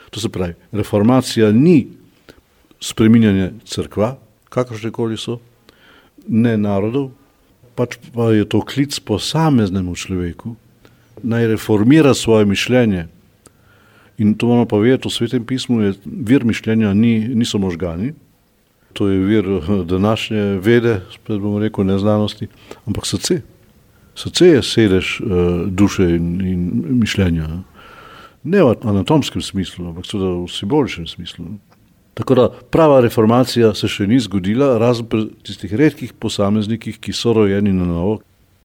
To se pravi, reformacija ni spreminjanje cerkva, kakršnekoli so, ne narodov, pač pa je to klic posameznemu človeku, naj reformira svoje mišljenje. In to moramo pa vedeti, v Svetem pismu je vir mišljenja niso možgani, to je vir današnje vede, spet bomo rekel neznanosti, ampak srce. Srce je sedež duše in mišljenja. Ne v anatomskem smislu, ampak seveda v simboličnem smislu. Tako da prava reformacija se še ni zgodila, razen pri tistih redkih posameznikih, ki so rojeni na novo,